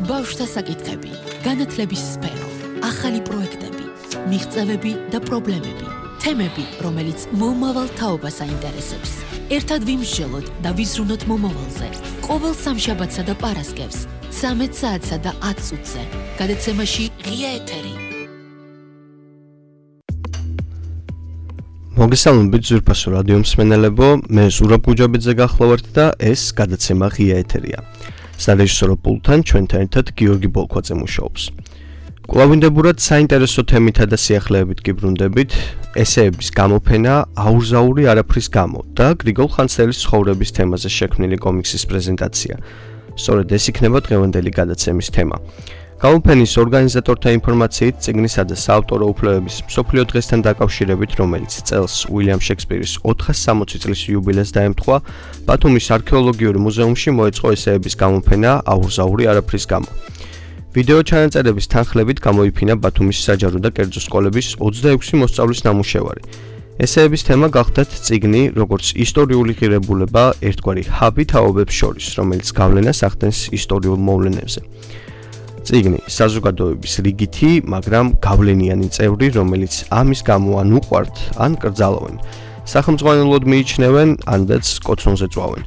ბავშვთა საკითხები, განათლების სფერო, ახალი პროექტები, მიღწევები და პრობლემები, თემები, რომელიც მომავალ თაობას აინტერესებს. ერთად ვიმსჯელოთ და ვიზრუნოთ მომავალზე. ყოველ სამშაბათსა და პარასკევს, 13 საათსა და 10 წუთზე. გადაცემაში ღია ეთერი. მოგესალმებით ზურფასო რადიო მსმენელებო, მე ზურაბ გუჯაბიძე გახლავართ და ეს გადაცემა ღია ეთერია. სარეჟისორო პულტთან ჩვენთან ერთად გიორგი ბოლქვაძე მუშაობს. კვლავინდებურად საინტერესო თემითა და სიახლეებით გიბრუნდებით, ესეების გამოფენა აურზაური არაფრის გამო და გრიგოლ ხანძთელის ცხოვრების თემაზე შექმნილი კომიქსის პრეზენტაცია. სწორედ ეს იქნება დღევანდელი გადაცემის თემა. გამოფენის ორგანიზატორთა ინფორმაციით წიგნისა და საავტორო უფლებების მსოფლიო დღესთან დაკავშირებით, რომელიც წელს უილიამ შექსპირის 460 წლის იუბილეს დაემთხვა, ბათუმის არქეოლოგიური მუზეუმში მოეწყო ესეების გამოფენა აურზაური არაფრის გამო. ვიდეო ჩანაწერების თანხლებით გამოიფინა ბათუმის საჯარო და კერძო სკოლების 26 მოსწავლის ნამუშევარი. ესეების თემა გახდათ წიგნი, როგორც ისტორიული ღირებულება, ერთგვარი ჰაბი თაობებს შორის, რომელიც გავლენას ახდენს ისტორიულ მოვლენებზე. წიგნი საზოგადოების რიგითი, მაგრამ გავლენიანი წევრი, რომელიც ამის გამო ან უყვართ, ან კრძალავენ. სახელმძღვანელოდ მიიჩნევენ, ანაც კოცონზე წვავენ.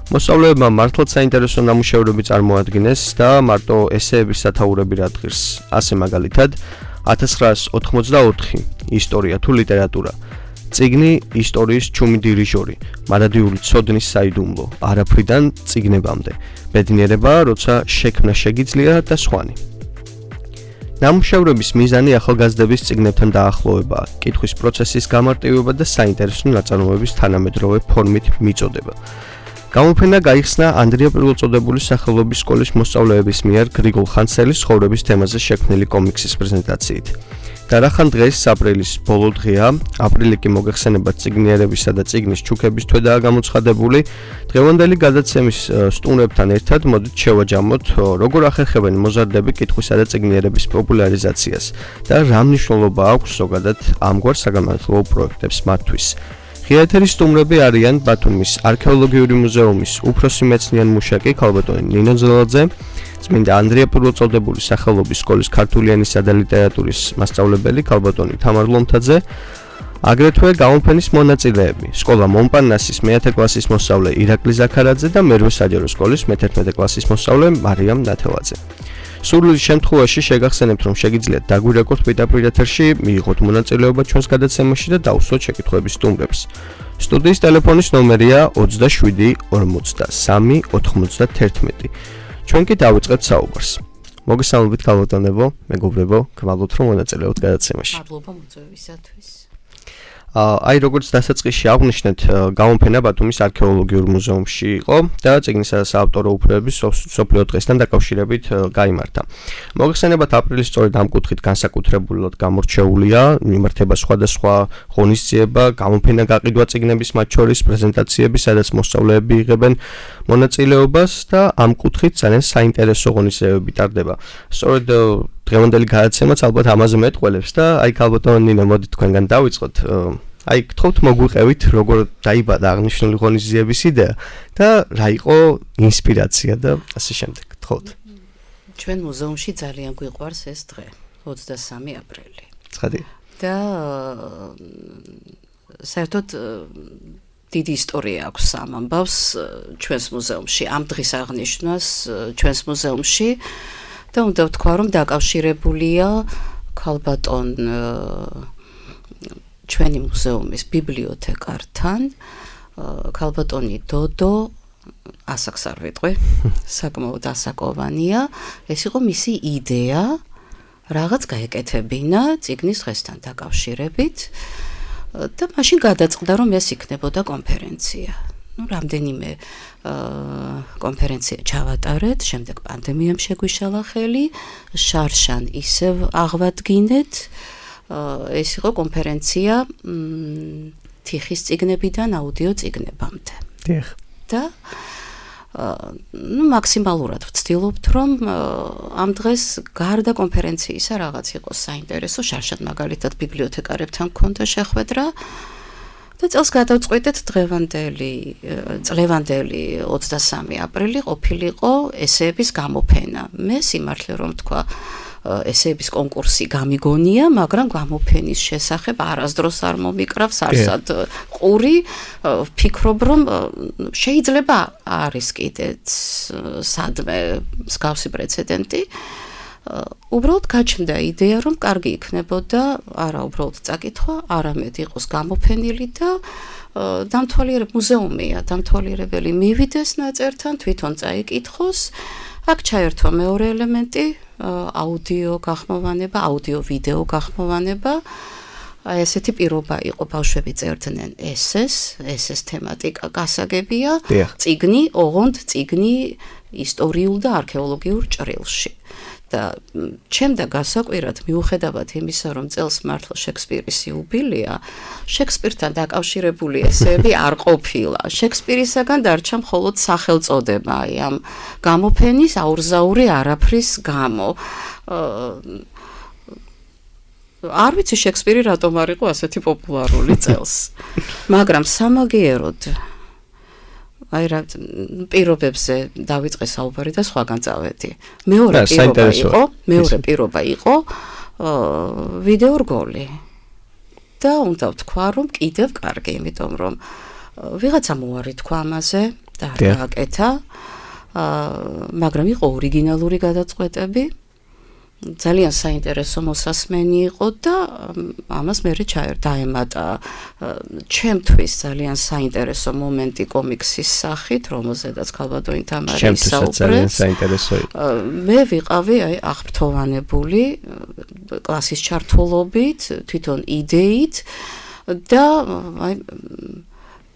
მოსწავლეებმა მართლაც საინტერესო ნამუშევრები წარმოადგინეს და მარტო ესეების სათაურები რადგეს. ასე მაგალითად, 1984 ისტორია თუ ლიტერატურა. წიგნი ისტორიის ჩუმი დირიჟორი, მარადიული ცოდნის საიდუმლო, არაფრიდან წიგნებამდე. ბედნიერება, როცა შექმნა შეგიძლია და სხვანი. ნამუშევრების მიზანი ახალგაზრდების წიგნებთან დაახლოებაა, კითხვის პროცესის გამარტივება და საინტერესო ნაწარმოების თანამედროვე ფორმით მიწოდება. გამოფენა გაიხსნა ანდრია პირველწოდებულის სახელობის სკოლის მოსწავლეების მიერ გრიგოლ ხანძთელის ცხოვრების თემაზე შექმნილი კომიქსის პრეზენტაციით. და რახან დღეს აპრილის ბოლო დღეა, აპრილი კი მოგეხსენებათ წიგნიერებისა და წიგნის ჩუქების თვედაა გამოცხადებული, დღევანდელი გადაცემის სტუმრებთან ერთად მოდით შევაჯამოთ, როგორ ახერხებენ მოზარდები კითხვისა და წიგნიერების პოპულარიზაციას და რა მნიშვნელობა აქვს ზოგადად ამგვარ საგანმანათლებლო პროექტებს მათთვის. ღია ეთერის სტუმრები არიან ბათუმის არქეოლოგიური მუზეუმის უფროსი მეცნიერ-მუშაკი ქალბატონი ნინო ძელაძე, წმინდა ანდრია პირველწოდებულის სახელობის სკოლის ქართული ენისა და ლიტერატურის მასწავლებელი ქალბატონი თამარ ლომთაძე, აგრეთვე გამოფენის მონაწილეები, სკოლა მონპარნასის მე-10 კლასის მოსწავლე ირაკლი ზაქარაძე და მერვე საჯარო სკოლის მე-11 კლასის მოსწავლე მარიამ ნათელაძე. სრულ შემთხვევაში შეგახსენებთ, რომ შეგიძლიათ დაგვირეკოთ პირდაპირ ეთერში, მიიღოთ მონაწილეობა ჩვენს გადაცემაში და დაუსვოთ შეკითხვების სტუმრებს. სტუდიის ტელეფონის ნომერია 27 43 91. ჩვენ კი დავიწყებთ საუბარს. მოგესალმებით ქალბატონებო, მეგობრებო, გმადლობთ რომ მონაწილეობთ გადაცემაში. მადლობა მოწვევისათვის. აი როგორც დასაწყისში აღნიშნეთ, გამოფენა ბათუმის არქეოლოგიურ მუზეუმში იყო და წიგნისა და საავტორო უფლებების მსოფლიო დღესთან დაკავშირებით გაიმართა. მოგეხსენებათ, აპრილის სწორედ ამ კუთხით განსაკუთრებულად გამორჩეულია, იმართება სხვადასხვა ღონისძიება, გამოფენა გაყიდვა წიგნების, მათ შორის პრეზენტაციები, სადაც მოსწავლეები იღებენ მონაწილეობას და ამ კუთხით ძალიან საინტერესო ღონისძიებები ტარდება. სწორედ დღევანდელი გადაცემაც ალბათ ამაზე მეტყველებს და აი ქალბატონო ნინო, მოდით თქვენგან დავიწყოთ. აი გთხოვთ მოგვიყევით, როგორ დაიბადა აღნიშნული ღონისძიების იდეა და რა იყო ინსპირაცია და ასე შემდეგ. გთხოვთ. ჩვენ მუზეუმში ძალიან გვიყვარს ეს დღე, 23 აპრილი. ცხადია. და საერთოდ დიდი ისტორია აქვს ამ ამბავს ჩვენს მუზეუმში, ამ დღის აღნიშვნას ჩვენს მუზეუმში. და უნდა ვთქვა, რომ დაკავშირებულია ქალბატონ ჩვენი მუზეუმის ბიბლიოთეკართან, ქალბატონი დოდო, ასაკს არ ვიტყვი, საკმაოდ ასაკოვანია, ეს იყო მისი იდეა, რაღაც გაეკეთებინა წიგნის დღესთან დაკავშირებით და მაშინ გადაწყდა, რომ ეს იქნებოდა კონფერენცია. რამდენიმე კონფერენცია ჩავატარეთ, შემდეგ პანდემიამ შეგვიშალა ხელი, შარშან ისევ აღვადგინეთ. ეს იყო კონფერენცია თიხის წიგნებიდან აუდიო წიგნებამდე. დიახ. და მაქსიმალურად ვცდილობთ, რომ ამ დღეს გარდა კონფერენციისა რაღაც იყოს საინტერესო, შარშან მაგალითად ბიბლიოთეკარებთან მქონდა შეხვედრა. და წელს გადავწყვეტეთ წლევანდელი 23 აპრილი ყოფილიყო ესეების გამოფენა. მე სიმართლე რომ თქვა ესეების კონკურსი გამიგონია, მაგრამ გამოფენის შესახებ არასდროს არ მომიკრავს არსად ყური, ვფიქრობ რომ შეიძლება არის კიდეც სადმე მსგავსი პრეცედენტი. უბრალოდ გაჩნდა იდეა რომ კარგი იქნებოდა არა უბრალოდ წაკითხვა, არამედ იყოს გამოფენილი და დამთვალიერებელი მივიდეს ნაწერთან, თვითონ წაიკითხოს. აქ ჩაერთვა მეორე ელემენტი, აუდიო გახმოვანება, აუდიო-ვიდეო გახმოვანება. აი ესეთი პირობა იყო, ბავშვები წერდნენ ესეს თემატიკა გასაგებია, წიგნი, ოღონდ წიგნი ისტორიულ და არქეოლოგიურ ჭრილში. და ჩემდა გასაკვირად მიუხედავად იმისა, რომ წელს მართლა შექსპირის იუბილეა, შექსპირთან დაკავშირებული ესეები არ ყოფილა. შექსპირისაგან დარჩა მხოლოდ სახელწოდება, აი ამ გამოფენის აურზაური არაფრის გამო. არ ვიცი შექსპირი რატომ არ იყო ასეთი პოპულარული წელს. მაგრამ სამაგიეროდ აი რა პირობებზე დავიწყე საუბარი და სხვაგან წავედი. მეორე პირობა იყო ვიდეო რგოლი. და უნდა ვთქვა რომ კიდევ კარგი, იმიტომ რომ ვიღაცა მოარი თქვა ამაზე და არ გააკეთა. მაგრამ იყო ორიგინალური გადაწყვეტები. ძალიან საინტერესო მოსასმენი იყო და ამას მე დაემატა ჩემთვის ძალიან საინტერესო მომენტი კომიქსის სახით, რომელზედაც ქალბატონი თამარი ისაუბრებს. ჩემთვის ძალიან საინტერესო იყო. მე ვიყავი აი აღფრთოვანებული კლასის ჩართულობით, თვითონ იდეით და აი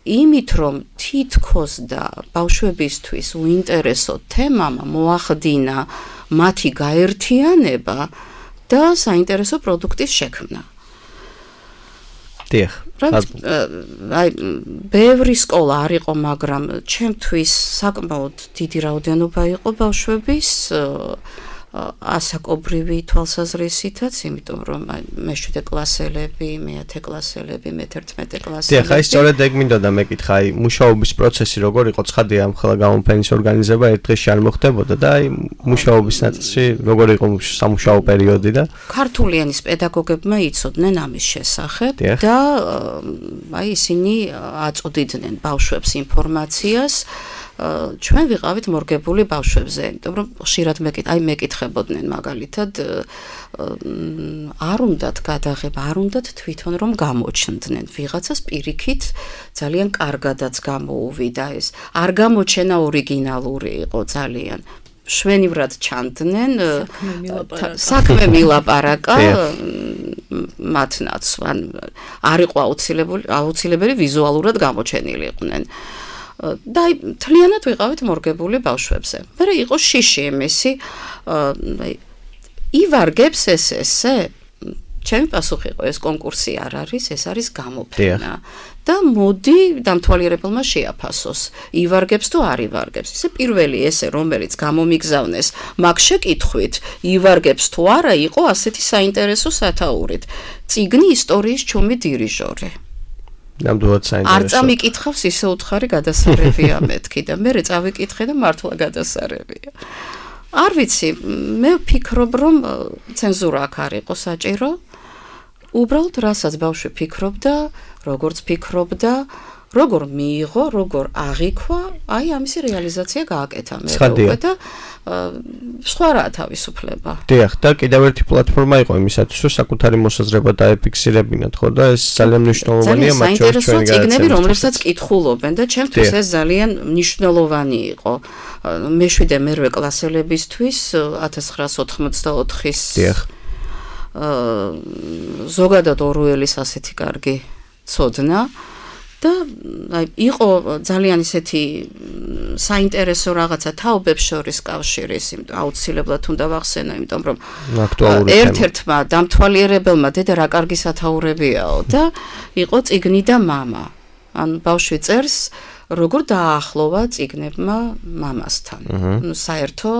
იმით რომ თითქოს და ბავშვებისთვის უინტერესო თემამ მოახდინა მათი გაერთიანება და საინტერესო პროდუქტის შექმნა. დიახ. აი ბევრი სკოლა არ იყო, მაგრამ ჩემთვის საკმაოდ დიდი რაოდენობა იყო ბავშვების ასაკობრივი თვალსაზრისითაც, იმიტომ რომ მე-7 კლასელები, მე-10 კლასელები, მე-11 კლასელები. დიახ, აი სწორედ ეგ მინდოდა მეკითხა, აი მუშაობის პროცესი როგორ იყო, ცხადია ამ ხელა გამოფენის ორგანიზება ერთ დღეში არ მოხდებოდა და აი მუშაობის ნაწილში როგორ იყო სამუშაო პერიოდი და ქართული ენის პედაგოგებმა იცოდნენ ამის შესახებ და აი ისინი აწვდიდნენ ბავშვებს ინფორმაციას. ჩვენ ვიყავით მორგებული ბავშვებზე, იმიტომ რომ ხშირად მეკითხებოდნენ მაგალითად არ უნდათ გადაღება, არ უნდათ თვითონ რომ გამოჩნდნენ ვიღაცას პირიქით ძალიან კარგადაც გამოუვიდა ეს. არ გამოჩენა ორიგინალური იყო ძალიან. შვენივრად ჩანდნენ, საქმე მილაპარაკა მათ ნაცვლად. არ იყო აუცილებელი ვიზუალურად გამოჩენილი იყვნენ. და თლიანად ვიყავით მორგებული ბავშვებზე. მერე იყო შიში ემესი, ივარგებს ესე? ჩემი პასუხი იყო, ეს კონკურსი არ არის, ეს არის გამოფენა. და მოდი დამთვალიერებელმა შეაფასოს, ივარგებს თუ არ ივარგებს. ესე პირველი ესე, რომელიც გამომიგზავნეს მაგ შეკითხვით, ივარგებს თუ არა, იყო ასეთი საინტერესო სათაურით. წიგნი ისტორიის ჩუმი დირიჟორი. ნამდვილად საინტერესო. არ წამიკითხავს ისე უთხარი გადასარევია მეთქი და მე წავიკითხე და მართლა გადასარევია. არ ვიცი, მე ვფიქრობ რომ ცენზურა აქ არ იყო საჭირო. უბრალოდ რასაც ბავშვი ფიქრობდა, როგორც ფიქრობდა, როგორ მიიღო, როგორ აღიქვა, აი ამისი რეალიზაცია გააკეთა მე უკვე და სხვა რა თავისუფლება. დიახ, და კიდევ ერთი პლატფორმა იყო იმისათვის, რომ საკუთარი მოსაზრება დაეფიქსირებინათ, ხო და ეს ძალიან მნიშვნელოვანია მათ შორის ჩვენი განაცემის. წიგნები, რომლებსაც კითხულობენ და ჩემთვის ეს ძალიან მნიშვნელოვანი იყო. მე-7 კლასელებისთვის 1984-ის დიახ. ზოგადად ორუელის ასეთი კარგი ცოდნა. და აი იყო ძალიან ისეთი საინტერესო რაღაცა თაობებს შორის კავშირის, იმიტომ აუცილებლად უნდა ვახსენო, იმიტომ რომ ერთ-ერთმა დამთვალიერებელმა დედა რა კარგი სათაურებიაო და იყო წიგნი და მამა. ან ბავშვი წერს როგორ დაახლოვა წიგნებმა მამასთან. საერთო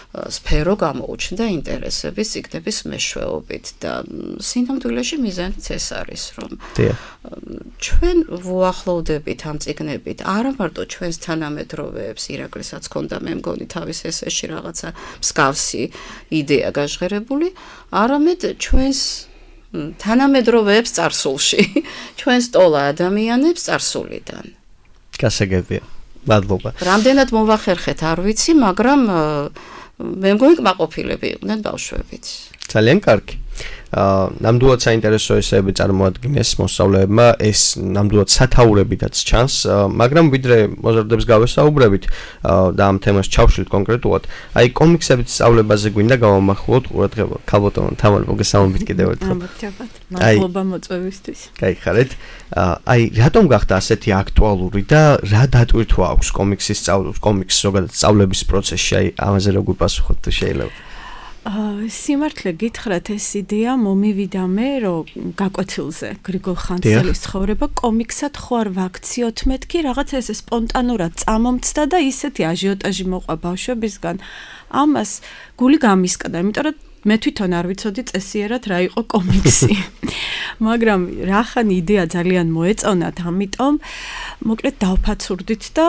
სფერო გამოუჩნდა ინტერესების წიგნების მეშვეობით და სინამდვილეში მიზანიც ეს არის, რომ ჩვენ ვუახლოვდებით ამ წიგნებით არა მარტო ჩვენს თანამედროვეებს, ირაკლისაც ჰქონდა მე მგონი თავის ესეში რაღაცა მსგავსი იდეა გაჟღერებული, არამედ ჩვენს თანამედროვეებს წარსულში, ჩვენს ტოლა ადამიანებს წარსულიდან. გასაგებია. მადლობა. რამდენად მოვახერხეთ არ ვიცი, მაგრამ მე მგონი კმაყოფილები იყვნენ ბავშვებიც. ძალიან კარგი. ნამდვილად საინტერესო ესეები წარმოადგინეს მოსწავლეებმა, ეს ნამდვილად სათაურებითაც ჩანს, მაგრამ ვიდრე მოზარდებს გავესაუბრებით და ამ თემას ჩავშლით კონკრეტულად, აი კომიქსებით სწავლებაზე გვინდა გავამახვილოთ ყურადღება. ქალბატონო თამარ, მოგესალმებით კიდევ ერთხელ. მადლობა მოწვევისთვის. გაიხარეთ. აი რატომ გახდა ასეთი აქტუალური და რა დატვირთვა აქვს კომიქსის ზოგადად სწავლების პროცესში? აი ამაზე როგორ პასუხობთ თუ შეიძლება? სიმართლე გითხრათ, ეს იდეა მომივიდა მე, რომ გაკვეთილზე გრიგოლ ხანძთელის ცხოვრება კომიქსად ხო არ ვაქციოთ მეთქი, რაღაცა ესე სპონტანურად წამომცდა და ისეთი აჟიოტაჟი მოყვა ბავშვებისგან, ამას გული გამისკდა, იმიტომ რომ მე თვითონ არ ვიცოდი წესიერად რა იყო კომიქსი. მაგრამ რახან იდეა ძალიან მოეწონათ, ამიტომ მოკლედ დავფაცურდით და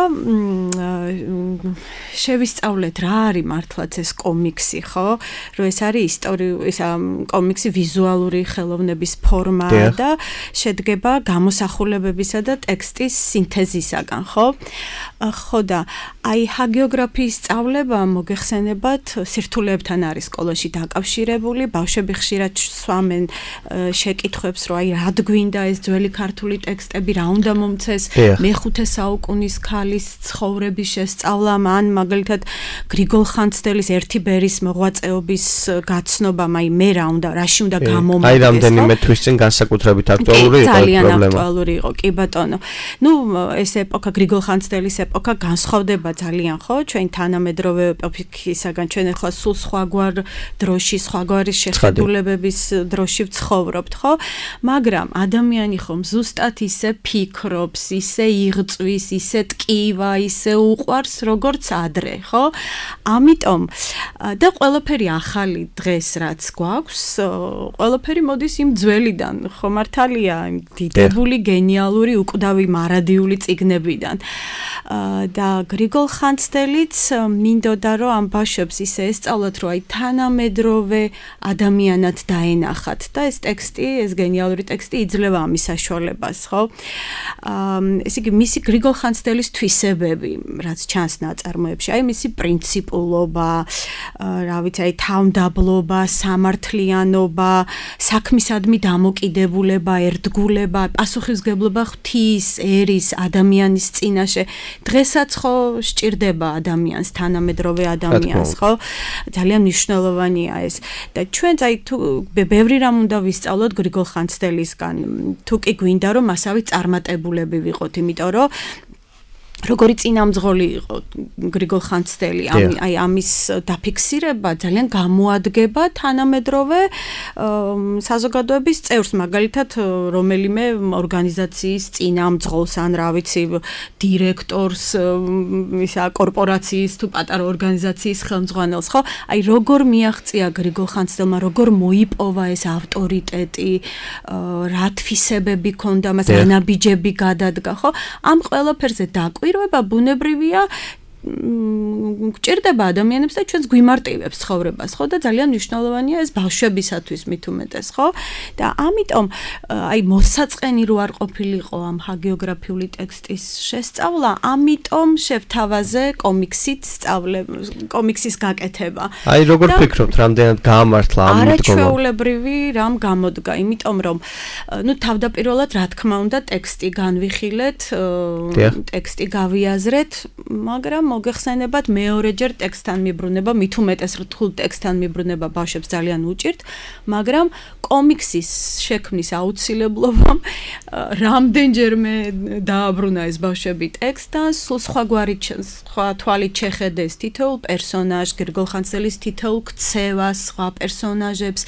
შევისწავლეთ რა არის მართლაც ეს კომიქსი, ხო? რომ ეს არის ისტორიის კომიქსი ვიზუალური ხელოვნების ფორმაა და შედგება გამოსახულებებისა და ტექსტის სინთეზისაგან, ხო? ხო და აი ჰაგიოგრაფიის სწავლება მოგეხსენებათ სირთულეებთან არის სკოლაში დაკავშირებული, ბავშვები ხშირად swamენ შეკითხვებს, რომ აი რა გვინდა ეს ძველი ქართული ტექსტები, რა უნდა მომცეს მეხუთე საუკუნის ქალის ცხოვრების შესწავლა, ან მაგალითად გრიგოლ ხანძთელის ერთი ბერის მოღვაწეობის გაცნობა, აი მე რაში უნდა გამომადგეს. აი რამდენიმე თვის წინ განსაკუთრებით აქტუალური იყო პრობლემა. ძალიან აქტუალური იყო, კი ბატონო. ნუ ეს ეპოქა გრიგოლ ხანძთელის ეპოქა განსხვავდება ძალიან, ხო? ჩვენ თანამედროვე ეპოქისაგან ჩვენ ახლა სულ სხვაგვარ დროში, სხვაგვარი შეხედულებების დროში ვცხოვრობთ, ხო? მაგრამ ადამიანი ხომ ზუსტად ისე ფიქრობს, ისე იღწვის, ისე ტკივა, ისე უყვარს, როგორც ადრე, ხო? ამიტომ და ყველაფერი ახალი დღეს რაც გვაქვს, ყველაფერი მოდის იმ ძველიდან, ხო მართალია, იმ დიდებული, გენიალური, უკვდავი მარადიული წიგნებიდან. და გრიგოლ ხანძთელიც მინდოდა რომ ამ ბავშვებს ისე ესწავლათ, რომ აი თანამედროვე ადამიანად დაენახათ და ეს ტექსტი, ეს გენიალური ტექსტი იძლევა ამის საშუალებას, ხო? ესე იგი მისი გრიგოლ ხანძთელის თვისებები, რაც ჩანს ნაწარმოებში, აი მისი პრინციპულობა, რა ვიცი, აი თავმდაბლობა, სამართლიანობა, საქმისადმი დამოკიდებულება, ერთგულება, პასუხისგებლობა ღვთის, ერის, ადამიანის წინაშე. დღესაც ხო სჭირდება ადამიანს, თანამედროვე ადამიანს, ხო? ძალიან მნიშვნელოვანია ეს. და ჩვენც აი თუ ბევრი რამ უნდა ვისწავლოთ გრიგოლ ხანძთელისგან, თუ კი გვინდა რომ მასავე წარმატებულები ვიყოთ, იმიტომ რომ როგორი წინამძღოლი იყო გრიგოლ ხანძთელი, აი ამის დაფიქსირება ძალიან გამოადგება თანამედროვე საზოგადოების წევრს, მაგალითად რომელიმე ორგანიზაციის წინამძღოლს, ან რა ვიცი, დირექტორს, ისა კორპორაციის თუ პატარა ორგანიზაციის ხელმძღვანელს, ხო? აი როგორ მიაღწია გრიგოლ ხანძთელმა, როგორ მოიპოვა ეს ავტორიტეტი, რა თვისებები ქონდა მას, რა ნაბიჯები გადადგა, ხო? ამ ყველაფერზე დაკვირვება ბუნებრივია, გჭირდება ადამიანებს და ჩვენს გვიმარტივებს ცხოვრებას, ხო? და ძალიან მნიშვნელოვანია ეს ბავშვებისათვის მით უმეტეს, ხო? და ამიტომ აი მოსაწყენი რო არ ყოფილიყო ამ ჰაგიოგრაფიული ტექსტის შესწავლა, ამიტომ შევთავაზე კომიქსის გაკეთება. აი როგორ ფიქრობთ, რამდენად გაამართლა ამ მდგომა? არაჩვეულებრივი რამ გამოდგა, იმიტომ რომ ნუ თავდაპირველად რა თქმა უნდა ტექსტი განვიხილეთ, ტექსტი გავიაზრეთ, მაგრამ მოგეხსენებათ მეორეჯერ ტექსტთან მიბრუნება, მით უმეტეს რთულ ტექსტთან მიბრუნება ბავშვებს ძალიან უჭირთ, მაგრამ კომიქსის შექმნის აუცილებლობამ რამდენჯერმე დააბრუნა ეს ბავშვები ტექსტთან, სულ სხვა თვალით შეხედეს თითოეულ პერსონაჟს, გრიგოლ ხანძთელის თითოეულ ქცევას, სხვა პერსონაჟებს,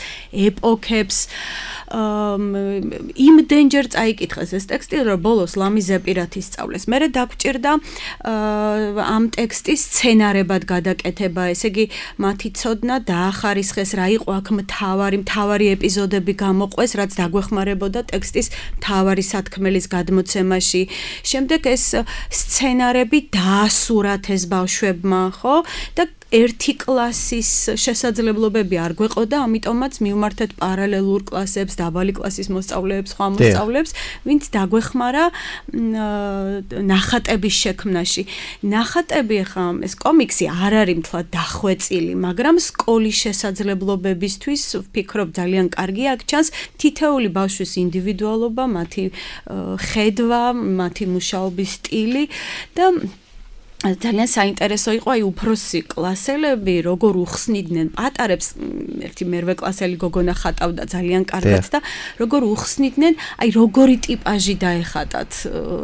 ეპოქებს. იმდენჯერ წაიკითხეს ეს ტექსტი, რომ ბოლოს ლამი ზეპირად ისწავლეს. მერე დაგვჭირდა ამ ტექსტის სცენარებად გადაკეთება, ესე იგი მათი ცოდნა დაახარისხეს, რა იყო აქ მთავარი ეპიზოდები გამოყვეს, რაც დაგვეხმარებოდა ტექსტის მთავარი სათქმელის გადმოცემაში. შემდეგ ეს სცენარები დაასურათეს ბავშვებმა, ხო? და ერთი კლასის შესაძლებლობები არ გვეყოდა, ამიტომაც მივმართეთ პარალელურ კლასებს, დაბალი კლასის მოსწავლეებს, სხვა მოსწავლეებს, ვინც დაგვეხმარა ნახატების შექმნაში. ნახატები ხა ეს კომიქსი არ არის მთლად დახვეწილი, მაგრამ სკოლის შესაძლებლობებისთვის ვფიქრობ ძალიან კარგია, აქ ჩანს თითოეული ბავშვის ინდივიდუალობა, მათი ხედვა, მათი მუშაობის სტილი და ძალიან საინტერესო იყო აი უფროსი კლასელები როგორ უხსნიდნენ პატარებს ერთი მერვე კლასელი გოგონა ხატავდა ძალიან კარგად და როგორ უხსნიდნენ აი როგორი ტიპაჟი დაეხატათ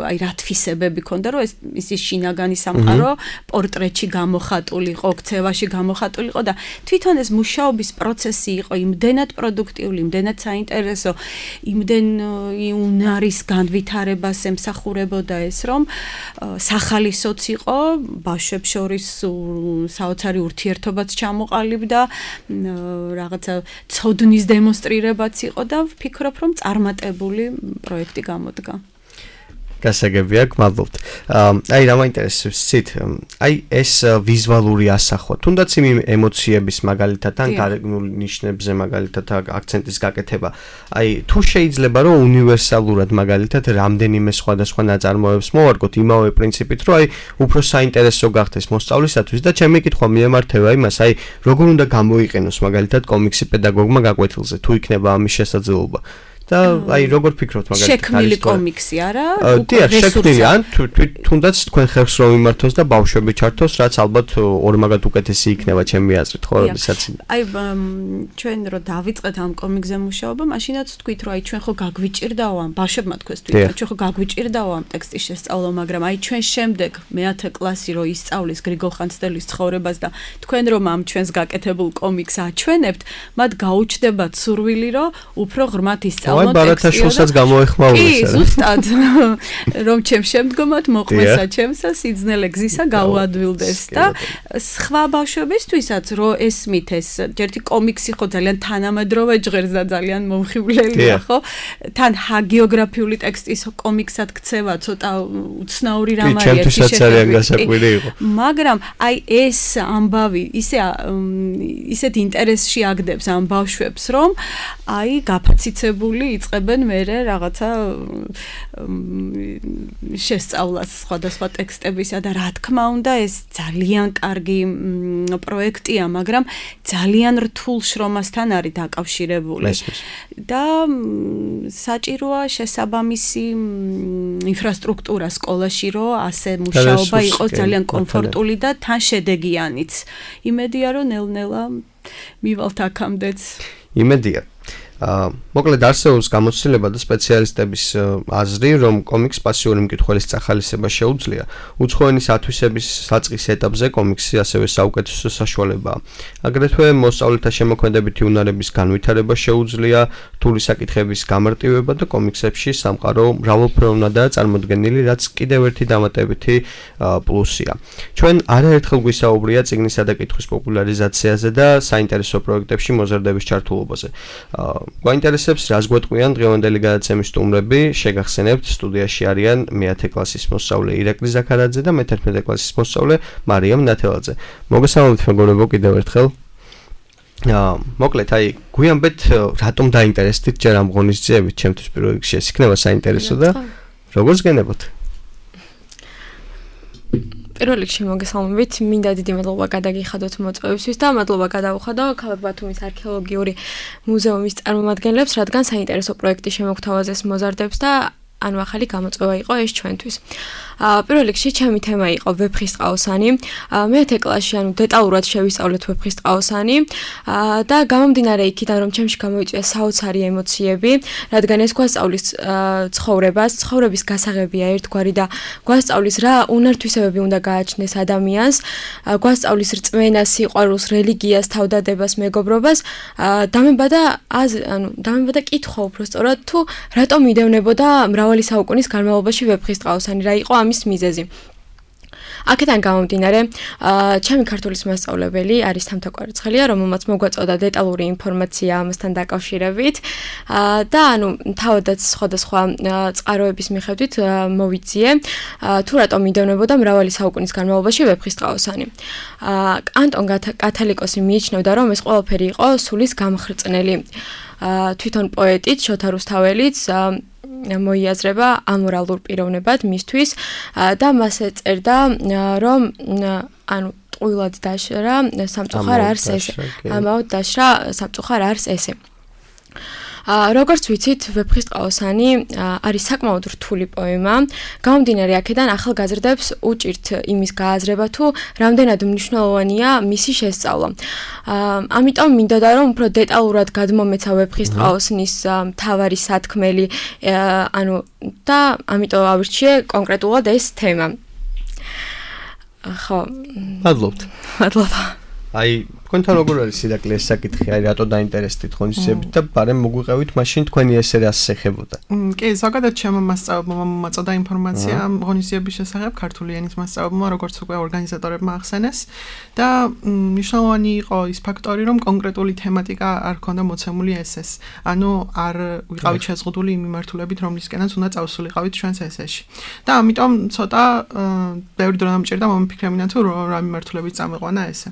აი რა თვისებები ქონდა რომ ეს ისის შინაგანი სამყარო პორტრეტში გამოხატული იყო ქცევაში გამოხატული იყო და თვითონ ეს მუშაობის პროცესი იყო იმდენად პროდუქტიული იმდენად საინტერესო იმდენ უნარის განვითარებას ემსახურებოდა ეს რომ სახალისოც იყო ბავშვებს შორის საოცარი ურთიერთობაც ჩამოყალიბდა, რაღაცა ცოდნის დემონსტრირებაც იყო და ვფიქრობ, რომ წარმატებული პროექტი გამოდგა. გასაგებია, გმადლობთ. აი რა მაინტერესებს ცით, აი ეს ვიზუალური ასახვა, თუნდაც იმ ემოციების მაგალითად ან გარეგნული ნიშნებზე მაგალითად აქცენტის გაკეთება. აი თუ შეიძლება რომ უნივერსალურად მაგალითად რამდენიმე სხვადასხვა ნაწარმოებებს მოვარგოთ იმავე პრინციპით, რომ აი უფრო საინტერესო გახდეს მოსწავლისათვის და ჩემი კითხვა მიემართება იმას, აი როგორ უნდა გამოიყენოს მაგალითად კომიქსი პედაგოგმა გაკვეთილზე, თუ იქნება ამის შესაძლებლობა. და აი როგორ ფიქრობთ მაგალითად შექმნილი კომიქსი არა დიახ შექმნილი ან თუნდაც თქვენ ხერხს რომ იმართოს და ბავშვები ჩართოს რაც ალბათ ორმაგად უკეთესი იქნება ჩემი აზრით ხო როდესაც აი ჩვენ რო დავიწყეთ ამ კომიქსზე მუშაობა მაშინაც თქვით რომ აი ჩვენ ხო გაგვიჭირდაო ამ ბავშვებმა თქვეს თქვით ჩვენ ხო გაგვიჭირდაო ამ ტექსტის შესწავლა მაგრამ აი ჩვენ შემდეგ მე-10 კლასი რო ისწავლის გრიგოლ ხანძთელის ცხოვრებას და თქვენ რომ ამ ჩვენს გაკეთებულ კომიქსს აჩვენებთ მათ გაუჩნდებათ სურვილი რომ უფრო ღრმად ისწავლონ აი ბარათაშვილსაც გამოეხმაურეს კი ზუსტად რომ ჩემ შემდგომად მოყვესა ჩემსა სიძნელე გზისა გაუადვილდეს და სხვა ბავშვებისთვისაც რომ ესმით ეს ერთი კომიქსი ხო ძალიან თანამედროვე ჟღერს და ძალიან მომხიბვლელია ხო თან ჰაგიოგრაფიული ტექსტის კომიქსად ქცევა ცოტა უცნაური რამ არის ჩემთვისაც ძალიან გასაკვირი იყო მაგრამ აი ეს ამბავი ისეთ ინტერესში აგდებს ამ ბავშვებს რომ აი გაფაციცებული იწყებენ მერე რაღაცა შესწავლას სხვადასხვა ტექსტებისა და რა თქმა უნდა ეს ძალიან კარგი პროექტია, მაგრამ ძალიან რთულ შრომასთან არის დაკავშირებული. და საჭიროა შესაბამისი ინფრასტრუქტურა სკოლაში, რომ ასე მუშაობა იყოს ძალიან კომფორტული და თან შედეგიანიც. იმედია, რომ ნელ-ნელა მივალთ აქამდეც. იმედია. მოკლედ არსებობს გამოცდილება და სპეციალისტების აზრი, რომ კომიքს პასიური მკითხველის წახალისება შეუძლია. უცხოენის ათვისების საწყის ეტაპზე კომიქსი ასევე საუკეთესო საშუალებაა. აგრეთვე მოსწავლეთა შემოქმედებითი უნარების განვითარება შეუძლია, რთული საკითხების გამარტივება და კომიქსებში სამყარო მრავალფეროვნადაა წარმოდგენილი, რაც კიდევ ერთი დამატებითი პლუსია. ჩვენ არაერთხელ გვისაუბრია წიგნისა და კითხვის პოპულარიზაციაზე და საინტერესო პროექტებში მოზარდების ჩართულობაზე. გვაინტერესებს რას გვეტყვიან დღევანდელი გადაცემის სტუმრები შეგახსენებთ სტუდიაში არიან მე-10 კლასის მოსწავლე ირაკლი ზაქარაძე და მე-11 კლასის მოსწავლე მარიამ ნათელაძე მოგესალმებით მეგობრებო კიდევ ერთხელ მოკლედ აი გვიანბეთ რატომ დაინტერესდით ჯერ ამ ღონისძიებით ჩემთვის პირველ რიგში ეს იქნება საინტერესო და როგორც გენებოთ პირველ რიგში მოგესალმებით, მინდა დიდი მადლობა გადაგიხადოთ მოწვევისთვის და მადლობა გადავუხადო ქალაქ ბათუმის არქეოლოგიური მუზეუმის წარმომადგენლებს, რადგან საინტერესო პროექტი შემოგთავაზეს მოზარდებს და ანუ ახალი გამოწვევა იყო ეს ჩვენთვის. პირველ რიგში ჩემი თემა იყო ვეფხისტყაოსანი. მე-10 კლასში ანუ დეტალურად შევისწავლეთ ვეფხისტყაოსანი და გამომდინარე იქიდან რომ ჩემში გამოიწვია საოცარი ემოციები, რადგან ეს გვასწავლის ცხოვრებას, ცხოვრების გასაღებია ერთგვარი და გვასწავლის რა უნარ-თვისებები უნდა გააჩნდეს ადამიანს, გვასწავლის რწმენას, სიყვარულს, რელიგიას, თავდადებას, მეგობრობას, დამემბადა კითხვა უბრალოდ თუ რატომ იდევნებოდა მრავალი საუკუნის განმავლობაში ვეფხისტყაოსანი, რა იყო ამის მიზეზი. აქედან გამომდინარე, ჩემი ქართულის მასწავლებელი არის თამთა კვარაცხელია, რომელმაც მოგვაწოდა დეტალური ინფორმაცია ამასთან დაკავშირებით და თავადაც სხვადასხვა წყაროების მიხედვით მოვიძიე, თუ რატომ იდევნებოდა მრავალი საუკუნის განმავლობაში ვეფხისტყაოსანი. ანტონ კათალიკოსი მიიჩნევდა, რომ ეს ყველაფერი იყო სულის გამხრწნელი. თვითონ პოეტიც შოთა რუსთაველიც მოიაზრება ამორალურ პიროვნებად მისთვის და მას ეწერდა რომ ტყუილად დაშრა სამწუხარ არს ესე. ამაოდ დაშრა სამწუხარ არს ესე. როგორც ვიცით, ვეფხისტყაოსანი არის საკმაოდ რთული პოემა. გამომდინარე აქედან ახალგაზრდებს უჭირთ იმის გააზრება თუ რამდენად მნიშვნელოვანია მისი შესწავლა. ამიტომ მინდოდა რომ უფრო დეტალურად გადმომეცა ვეფხისტყაოსნის მთავარი სათქმელი, და ამიტომ ავირჩიე კონკრეტულად ეს თემა. ხო. მადლობა. აი, თქვენთან როგორ არის ირაკლი ეს საკითხი, აი რატო დაინტერესდით ღონისძიებით და ბარემ მოგვიყევით, მაშინ თქვენი ესე რას ეხებოდა? კი, ზოგადად ჩემო მასწავლებელმა მოწოდა ინფორმაცია ღონისძიების შესახებ ქართული ენის მასწავლებელმა, როგორც უკვე ორგანიზატორებმა ახსენეს და მნიშვნელოვანი იყო ის ფაქტორი, რომ კონკრეტული თემატიკა არ ჰქონდა მოცემული ესეს. ანუ არ ვიყავით შეზღუდული იმ მიმართულებით, რომლისკენაც უნდა წავსულიყავით ჩვენს ესეში. და ამიტომ ცოტა ბევრი დრო დამჭირდა მომიფიქრებინა თუ რა მიმართულებით წამეყვანა ესე.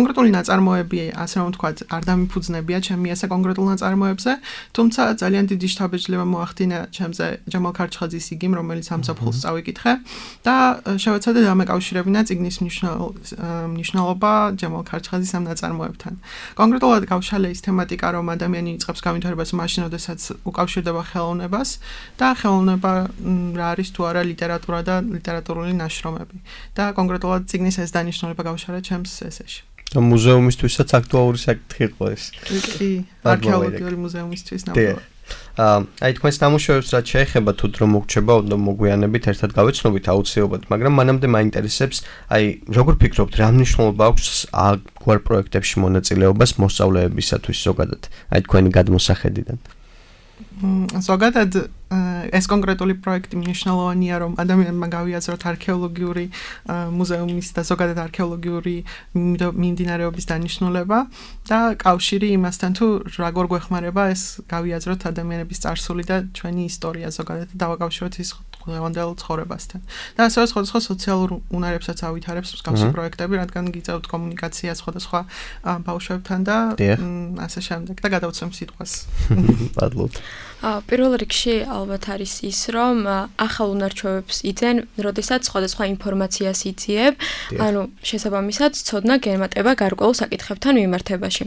კონკრეტული ნაწარმოები, ასე რომ ვთქვათ, არ დამიფუძნებია ჩემი ესე კონკრეტულ ნაწარმოებზე, თუმცა ძალიან დიდი შთაბეჭდილება მოახდინა ჩემზე ჯამალ ქარჩხაძის იგიმ, რომელიც ამსაფხულს წავიკითხე და შევეცადე დამეკავშირებინა წიგნის მნიშვნელობა ჯამალ ქარჩხაძის ამ ნაწარმოებთან. კონკრეტულად გავშალე ის თემატიკა, რომ ადამიანი იწყებს განვითარებას მაშინ, როდესაც უკავშირდება ხელოვნებას და ხელოვნება რა არის თუ არა ლიტერატურა და ლიტერატურული ნაშრომები. და კონკრეტულად წიგნის ეს დანიშნულება გავშალე ჩემს ესეში. მუზეუმისთვისაც აქტუალური საკითხი იყო ეს. კი, არქეოლოგიური მუზეუმისთვის ნამდვილად. აი თქვენს ნამუშევრებს რაც შეეხება თუ დრო მოგრჩება, უნდა მოგვიანებით ერთად გავეცნობით აუცილებლად, მაგრამ მანამდე მაინტერესებს, აი როგორ ფიქრობთ, რა მნიშვნელობა აქვს აგვარ პროექტებში მონაწილეობას მოსწავლეებისათვის ზოგადად, აი თქვენი გადმოსახედიდან? ზოგადად ეს კონკრეტული პროექტი მნიშვნელოვანია, რომ ადამიანებმა გავიაზროთ არქეოლოგიური მუზეუმის და ზოგადად არქეოლოგიური მიმდინარეობის დანიშნულება და კავშირი იმასთან თუ როგორ გვეხმარება ეს გავიაზროთ ადამიანების წარსული და ჩვენი ისტორია ზოგადად და დავაკავშიროთ ის დღევანდელ ცხოვრებასთან. და ასევე სხვადასხვა სოციალურ უნარებსაც ავითარებს მსგავსი პროექტები, რადგან გიწევთ კომუნიკაცია სხვადასხვა ბავშვებთან და ასე შემდეგ და გადავცემ სიტყვას. მადლობთ. პირველ რიგში ალბათ არის ის, რომ ახალ უნარ-ჩვევებს იძენ, როდესაც სხვადასხვა ინფორმაციას იძიებ, ანუ შესაბამისად ცოდნა გემატება გარკვეულ საკითხებთან მიმართებაში.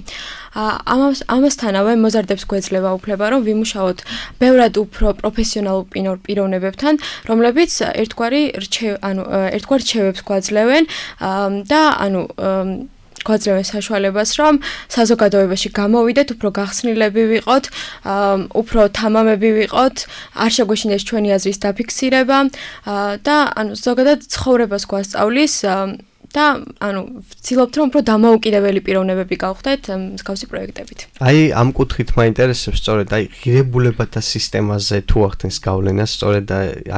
ამასთანავე მოზარდებს გვეძლევა უფლება, რომ ვიმუშაოთ ბევრად უფრო პროფესიონალურ პიროვნებებთან, რომლებიც ერთგვარ რჩევებს გვაძლევენ და გვაძლევენ საშუალებას, რომ საზოგადოებაში გამოვიდეთ, უფრო გახსნილები ვიყოთ, უფრო თამამები ვიყოთ, არ შეგვეშინდეს ჩვენი აზრის დაფიქსირება და ზოგადად ცხოვრებას გვასწავლის და ვცდილობთ, რომ უფრო დამოუკიდებელი პიროვნებები გავხდეთ მსგავსი პროექტებით. აი ამ კუთხით მაინტერესებს სწორედ აი ღირებულებათა სისტემაზე თუ ახდენს გავლენას, სწორედ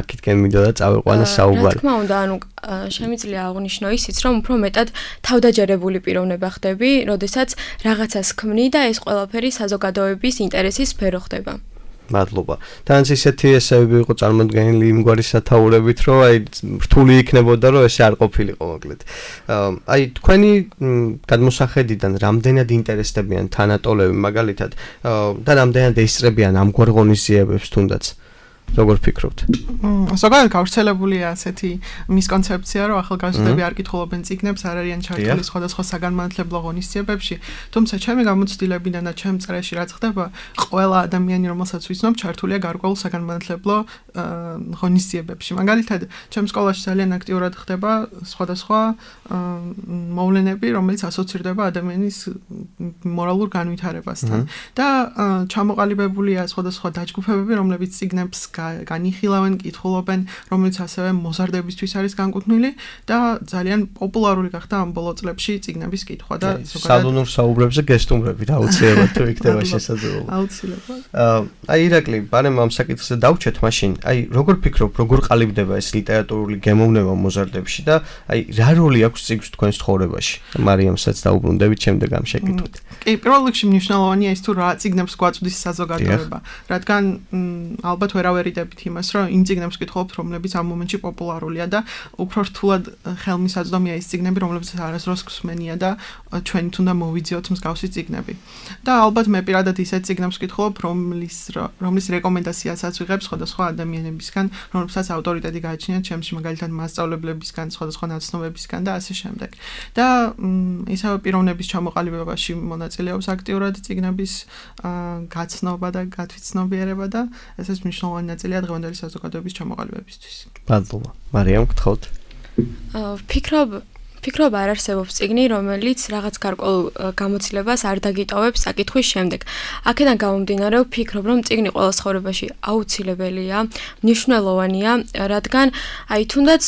აქეთკენ მინდოდა წავიყვანა საუბარი. რა თქმა უნდა, შემიძლია აღვნიშნო ისიც, რომ უფრო მეტად თავდაჯერებული პიროვნება ხდები, როდესაც რაღაცას ქმნი და ეს ყველაფერი საზოგადოების ინტერესის სფერო ხდება. მადლობა. თანაც ისეთი ესეები იყო წარმოდგენილი იმგვარი სათაურებით, რომ აი რთული იქნებოდა, რომ ესე არ ყოფილიყო მოკლედ. აი თქვენი გადმოსახედიდან რამდენად ინტერესდებიან თანატოლები მაგალითად და რამდენად ესწრებიან ამგვარ ღონისძიებებს თუნდაც? როგორ ფიქრობთ? ზოგადად გავრცელებულია ასეთი მისკონცეფცია, რომ ახალგაზრდები არ კითხულობენ წიგნებს, არ არიან ჩართული სხვადასხვა საგანმანათლებლო ღონისძიებებში, თუმცა ჩემი გამოცდილებიდან და ჩემ წრეში რაც ხდება, ყველა ადამიანი, რომელსაც ვიცნობ, ჩართულია გარკვეულ საგანმანათლებლო ღონისძიებებში. მაგალითად, ჩემ სკოლაში ძალიან აქტიურად ხდება სხვადასხვა მოვლენები, რომელიც ასოცირდება ადამიანის მორალურ განვითარებასთან და ჩამოყალიბებულია სხვადასხვა დაჯგუფებები, რომლებიც წიგნებს განიხილავენ, კითხულობენ, რომელიც ასევე მოზარდებისთვის არის განკუთვნილი და ძალიან პოპულარული გახდა ამ ბოლო წლებში წიგნების კითხვა და ზოგადად სალონურ საუბრებზე გესტუმრებით აუცილებლად თუ იქნება შესაძლებელი. აუცილებლად. აი ირაკლი, ბარემ ამ საკითხზე დავჩეთ მაშინ. აი როგორ ფიქრობ, როგორ ყალიბდება ეს ლიტერატურული გემოვნება მოზარდებში და აი რა როლი აქვს წიგნს თქვენს ცხოვრებაში? მარიამსაც დაუბრუნდებით შემდეგ ამ შეკითხვით. კი, პირველ რიგში მნიშვნელოვანია ის თუ რა წიგნებს გვაწვდის საზოგადოება, რადგან ალბათ ვერავერიდებით იმას, რომ იმ წიგნებს ვკითხულობთ, რომლებიც ამ მომენტში პოპულარულია და უფრო რთულად ხელმისაწვდომია ის წიგნები, რომლებიც არასდროს გვსმენია და ჩვენით უნდა მოვიძიოთ მსგავსი წიგნები. და ალბათ მე პირადად ისეთ წიგნებს ვკითხულობ, რომლის რეკომენდაციასაც ვიღებ სხვადასხვა ადამიანებისგან, რომლებსაც ავტორიტეტი გააჩნიათ ჩემში, მაგალითად მასწავლებლებისგან, სხვადასხვა ნაცნობებისგან და ასე შემდეგ. და ისევ პიროვნების ჩამოყალიბებაში მონაწილეობს აქტიურად წიგნების გაცნობა და გათვითცნობიერება და ესეც მნიშვნელოვანი ნაწილია დღევანდელი საზოგადოების ჩამოყალიბებისთვის. მადლობა. მარიამ, გთხოვთ. ფიქრობ არ არსებობს წიგნი, რომელიც რაღაც გარკვეულ გამოცდილებას არ დაგიტოვებს საკითხვის შემდეგ. აქედან გამომდინარე, ვფიქრობ, რომ წიგნი ყოველ ცხოვრებაში აუცილებელია, მნიშვნელოვანია, რადგან აი თუნდაც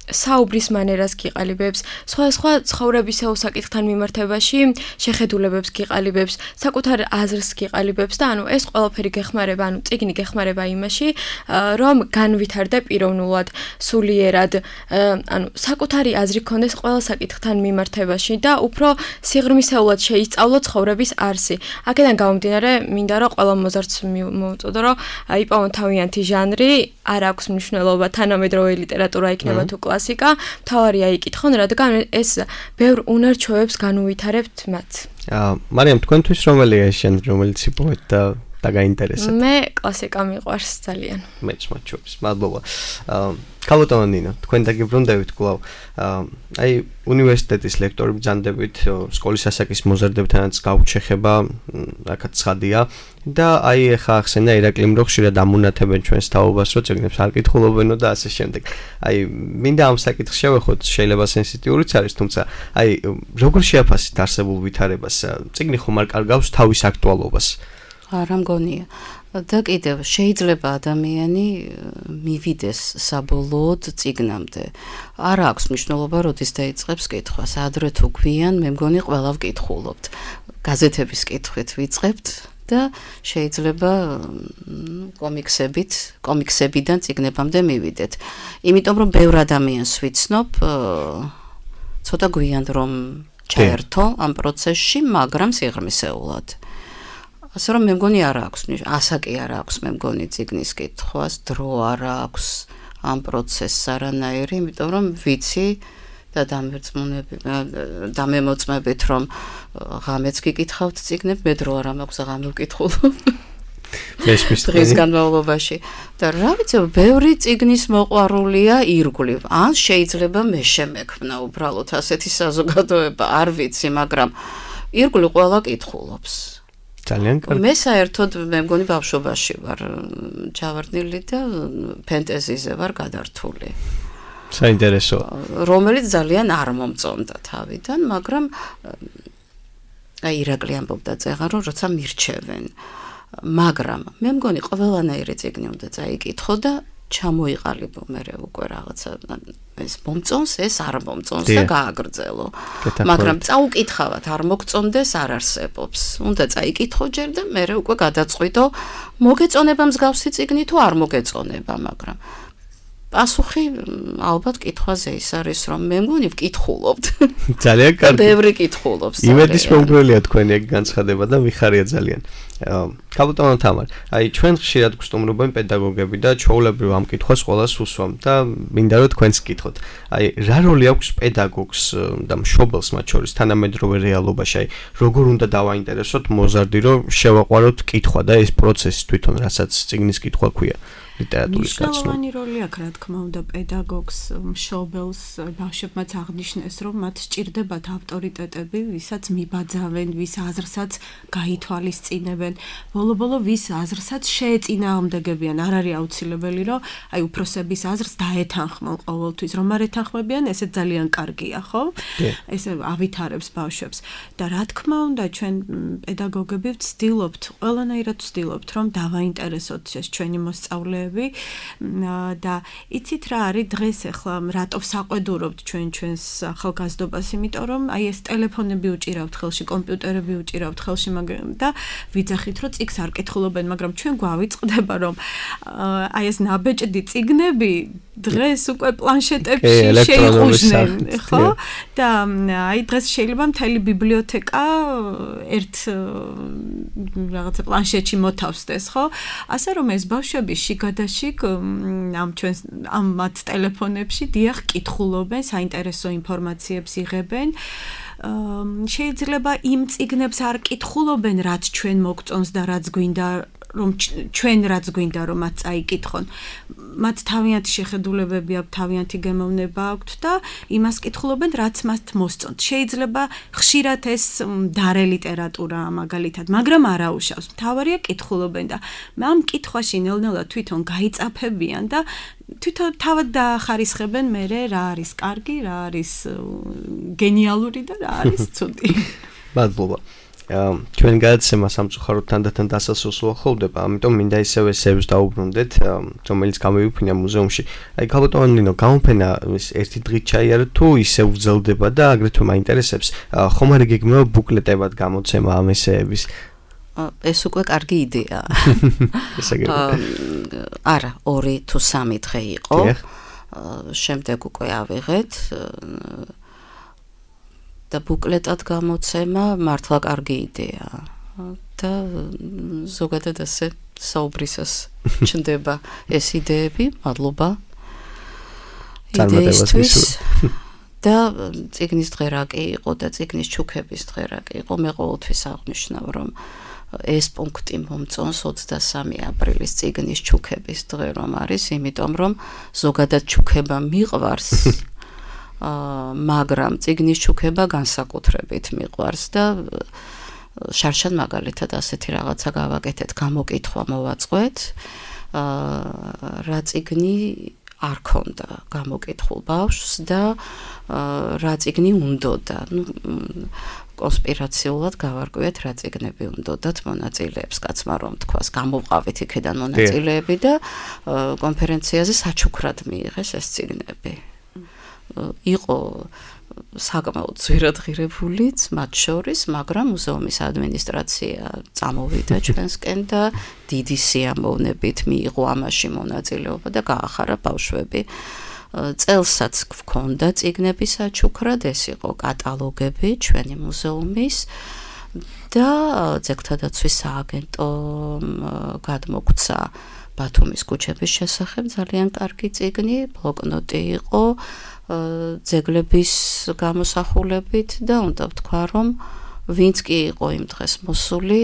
საუბრის მანერას გიყალიბებს, სხვა ცხოვრებისეულ საკითხთან მიმართებაში შეხედულებებს გიყალიბებს, საკუთარ აზრს გიყალიბებს და ანუ ეს ყველაფერი გეხმარება, ანუ წიგნი გეხმარება იმაში, რომ განვითარდე პიროვნულად, სულიერად, ანუ საკუთარი აზრი გქონდეს ყველა საკითხთან მიმართებაში და უფრო სიღრმისეულად შეისწავლო ცხოვრების არსი. აქედან გამომდინარე, მინდა რომ ყველა მოზარდს მოვუწოდო, რომ იპოვონ თავიანთი ჟანრი, არ აქვს მნიშვნელობა თანამედროვე ლიტერატურა იქნება თუ კლასიკა, მთავარია იკითხონ, რადგან ეს ბევრ უნარ-ჩვევებს განუვითარებთ მათ. მარიამ, თქვენთვის რომელია ეს ჟანრი, რომელიც იპოვეთ და დაგაინტერესეთ? მე კლასიკა მიყვარს ძალიან. მეც მათ შორის. მადლობა. ქალბატონო ნინო, თქვენ დაგიბრუნდებით კვლავ. აი უნივერსიტეტის ლექტორი ბრძანდებით, სკოლის ასაკის მოზარდებთანაც გაუჩეხება, აქაც ცხადია და აი ეხა ახსენა ირაკლიმ, რომ ხშირად ამუნათებენ ჩვენს თაობას, რომ წიგნებს არ კითხულობენო და ასე შემდეგ. აი მინდა ამ საკითხს შევეხოთ, შეიძლება სენსიტიურიც არის, თუმცა აი როგორ შეაფასეთ არსებულ ვითარებას? წიგნი ხომ არ კარგავს თავის აქტუალობას? არა მგონია. და კიდევ შეიძლება ადამიანი მივიდეს საბოლოოდ წიგნამდე. არ აქვს მნიშვნელობა, როდის დაიწყებს კითხვას. ადრე თუ გვიან, მე მგონი ყველა ვკითხულობთ. გაზეთების კითხვით ვიწყებთ და შეიძლება კომიქსებიდან წიგნებამდე მივიდეთ. იმიტომ რომ ბევრ ადამიანს ვიცნობ, ცოტა გვიან რომ ჩაერთო ამ პროცესში, მაგრამ სიღრმისეულად. ასე რომ მე მგონი არ აქვს, ასაკი არ აქვს მე მგონი წიგნის კითხვას, დრო არ აქვს ამ პროცესს არანაირი, იმიტომ რომ ვიცი და დამემოწმებით რომ ღამეც გიკითხავთ წიგნებს, მე დრო არ მაქვს ღამე ვკითხულობ. დღის განმავლობაში და რა ვიცი, ბევრი წიგნის მოყვარულია ირგვლივ. ან შეიძლება მე შემექმნა უბრალოდ ასეთი საზოგადოება, არ ვიცი, მაგრამ ირგვლივ ყველა კითხულობს. ძალიან კარგი. მე საერთოდ მე მგონი ბავშვობაში ვარ ჩავარდნილი და ფენტეზიზე ვარ გადართული. საინტერესო. რომელიც ძალიან არ მომწონდა თავიდან, მაგრამ აი ირაკლი ამბობდა წეღან, რომ როცა მირჩევენ. მაგრამ მე მგონი ყველანაირი წიგნი უნდა წაიკითხო და ჩამოიყალიბო მე უკვე რაღაცა ეს მომწონს, ეს არ მომწონს და გააგრძელო. მაგრამ წაუკითხავად არ მოგწონდეს, არ არსებობს. უნდა წაიკითხო ჯერ და მე უკვე გადაწყვიტო, მოგეწონება მსგავსი წიგნი თუ არ მოგეწონება, მაგრამ პასუხი ალბათ კითხვაზე ის არის, რომ მე მგონი ვკითხულობთ. ძალიან კარგი. ბევრი კითხულობს. იმედის მომგვრელია თქვენი ეგ განცხადება და მიხარია ძალიან. კაპიტანო თამარ, აი ჩვენ ხშირად გვსტუმრობენ პედაგოგები და ჩვეულებრივ ამ კითხვას ყველას უსვამ და მინდა რომ თქვენს გითხოთ. აი რა როლი აქვს პედაგოგს და მშობელს მათ შორის თანამედროვე რეალობაში? აი როგორ უნდა დავაინტერესოთ მოზარდი რომ შევაყვაროთ კითხვა და ეს პროცესი თვითონ რასაც წიგნის კითხვა ქვია. ლიტერატურის გაცნობა. მნიშვნელოვანი როლი აქვს, რა თქმა უნდა, პედაგოგს, მშობელს, ბავშვებმაც აღნიშნეს, რომ მათ სჭირდებათ ავტორიტეტები, ვისაც მიბაძავენ, ვის აზრსაც გაითვალისწინებენ. ბოლო-ბოლო ვის აზრსაც შეეწინააღმდეგებიან. არ არის აუცილებელი, რომ აი უფროსების აზრს დაეთანხმონ ყოველთვის, რომ არ ეთანხმებიან, ესე ძალიან კარგია, ხო? ესე ავითარებს ბავშვებს. და რა თქმა უნდა, ჩვენ პედაგოგები ვცდილობთ, ყველანაირად ვცდილობთ, რომ დავაინტერესოთ ეს ჩვენი მოსწავლეები და იცით რა არის დღეს ახლა რატო საყვედურობთ ჩვენს ახალგაზრდობას, იმიტომ რომ აი ეს ტელეფონები უჭირავთ ხელში, კომპიუტერები უჭირავთ ხელში და ვიძახით რომ წიგნს არ კითხულობენ, მაგრამ ჩვენ გვავიწყდება რომ აი ეს ნაბეჭდი წიგნები დღეს უკვე პლანშეტებში შეიყვნენ, ხო? და აი დღეს შეიძლება მთელი ბიბლიოთეკა ერთ რაღაცა პლანშეტში მოთავსდეს, ხო? ასე რომ ეს ბავშვები შიგადაშიგ ამ მათ ტელეფონებში დიახ კითხულობენ, საინტერესო ინფორმაციებს იღებენ. შეიძლება იმ წიგნებს არ კითხულობენ, რაც ჩვენ მოგწონს და რაც გვინდა რომ ჩვენ რაც გვინდა რომ მათ წაიკითხონ. მათ თავიანთი შეხედულებები აქვს, თავიანთი გემოვნება აქვთ და იმას კითხულობენ, რაც მათ მოსწონთ. შეიძლება ხშირად ეს მდარე ლიტერატურა მაგალითად, მაგრამ არაუშავს. მთავარია კითხულობენ და ამ კითხვაში ნელ-ნელა თვითონ გაიწაფებიან და თვითონ თავად დაახარისხებენ მერე რა არის კარგი, რა არის გენიალური და რა არის ცუდი. მადლობა. ჩვენ გადაცემა სამწუხაროდ თანდათან დასასრულს ახლოვდება, ამიტომ მინდა ისევ ესეებს დაუბრუნდეთ, რომელიც გამოვიფინა მუზეუმში. აი კაპიტანო ნინო, გამოფენა ერთი დღით ჩაიარა თუ ისევ გრძელდება და აგრეთვე მაინტერესებს, ხომ არ გეგმება ბუკლეტებად გამოცემა ამ ესეების? ეს უკვე კარგი იდეაა. არა, 2 თუ 3 დღე იყო. შემდეგ უკვე ავიღეთ. და ბუკლეტად გამოცემა მართლა კარგი იდეაა და ზოგადად ასე საუბრისას ჩნდება ეს იდეები. მადლობა იდეისთვის და წიგნის დღე რა კი იყო და წიგნის ჩუქების დღე რა კი იყო. მე ყოველთვის აღნიშნავ რომ ეს პუნქტი მომწონს 23 აპრილის წიგნის ჩუქების დღე რომ არის, იმიტომ რომ ზოგადად ჩუქება მიყვარს მაგრამ წიგნის ჩუქება განსაკუთრებით მიყვარს და შარშან მაგალითად ასეთი რაღაცა გავაკეთეთ, გამოკითხვა მოვაწყვეთ, რა წიგნი არ ქონდა გამოკითხულ ბავშვს და რა წიგნი უნდოდა. კონსპირაციულად გავარკვიეთ რა წიგნები უნდოდათ მონაწილეებს, კაცმა რომ თქვას, გამოვყავით იქიდან მონაწილეები და კონფერენციაზე საჩუქრად მიიღეს ეს წიგნები. იყო საკმაოდ ძვირად ღირებულიც მათ შორის, მაგრამ მუზეუმის ადმინისტრაცია წამოვიდა ჩვენსკენ და დიდი სიამოვნებით მიიღო ამაში მონაწილეობა და გაახარა ბავშვები. წელსაც გვქონდა წიგნების საჩუქრად, ეს იყო კატალოგები ჩვენი მუზეუმის და ძეგლთა დაცვის სააგენტომ გადმოგცა ბათუმის ქუჩების შესახებ ძალიან კარგი წიგნი, ბლოკნოტი იყო ძეგლების გამოსახულებით და უნდა ვთქვა რომ ვინც კი იყო იმ დღეს მოსული,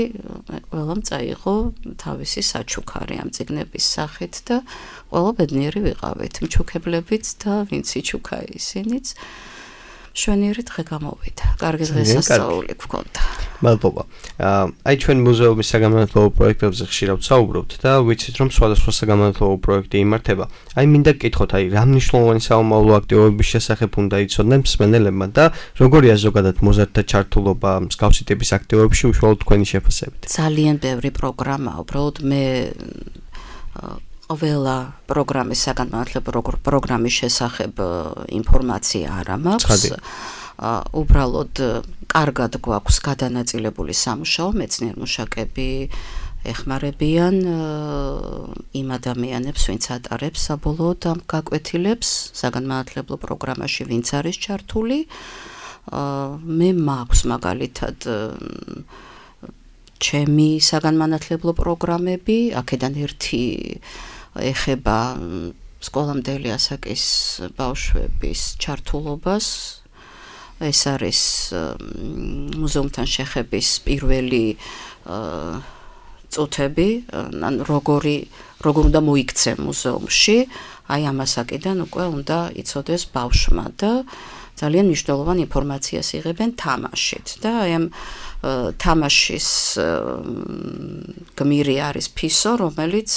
ყველამ წაიღო თავისი საჩუქარი ამ წიგნების სახით და ყველა ბედნიერი ვიყავით, მჩუქებლებით და ვინც იჩუქა ისინიც. შვენიერი დღე გამოვიდა. კარგი დღესასწაული გქონდა. მადლობა. აი ჩვენ მუზეუმის საგანმანათლებლო პროექტებზე ხშირად ვსაუბრობთ და ვიცით რომ სხვადასხვა საგანმანათლებლო პროექტი იმართება. აი მინდა გკითხოთ, აი რა მნიშვნელოვანი საომავლო აქტივობების შესახებ უნდა იცოდნენ მსმენელებმა და როგორია ზოგადად მოზარდთა ჩართულობა მსგავსი ტიპის აქტივობებში უშუალოდ თქვენი შეფასებით? ძალიან ბევრი პროგრამაა, უბრალოდ მე ყველა პროგრამის საგანმანათლებლო პროგრამის შესახებ ინფორმაცია არ მაქვს. უბრალოდ კარგად გვაქვს გადანაწილებული სამუშაო, მეცნიერ-მუშაკები ეხმარებიან იმ ადამიანებს, ვინც ატარებს საბოლოოდ ამ გაკვეთილებს საგანმანათლებლო პროგრამაში, ვინც არის ჩართული. მე მაქვს მაგალითად ჩემი საგანმანათლებლო პროგრამები, აქედან ერთი ეხება სკოლამდელი ასაკის ბავშვების ჩართულობას. ეს არის მუზეუმთან შეხების პირველი წუთები, როგორ უნდა მოიქცე მუზეუმში, აი ამ ასაკიდან უკვე უნდა იცოდეს ბავშვმა და ძალიან მნიშვნელოვან ინფორმაციას იღებენ თამაშით და აი ამ თამაშის გმირი არის ფისო, რომელიც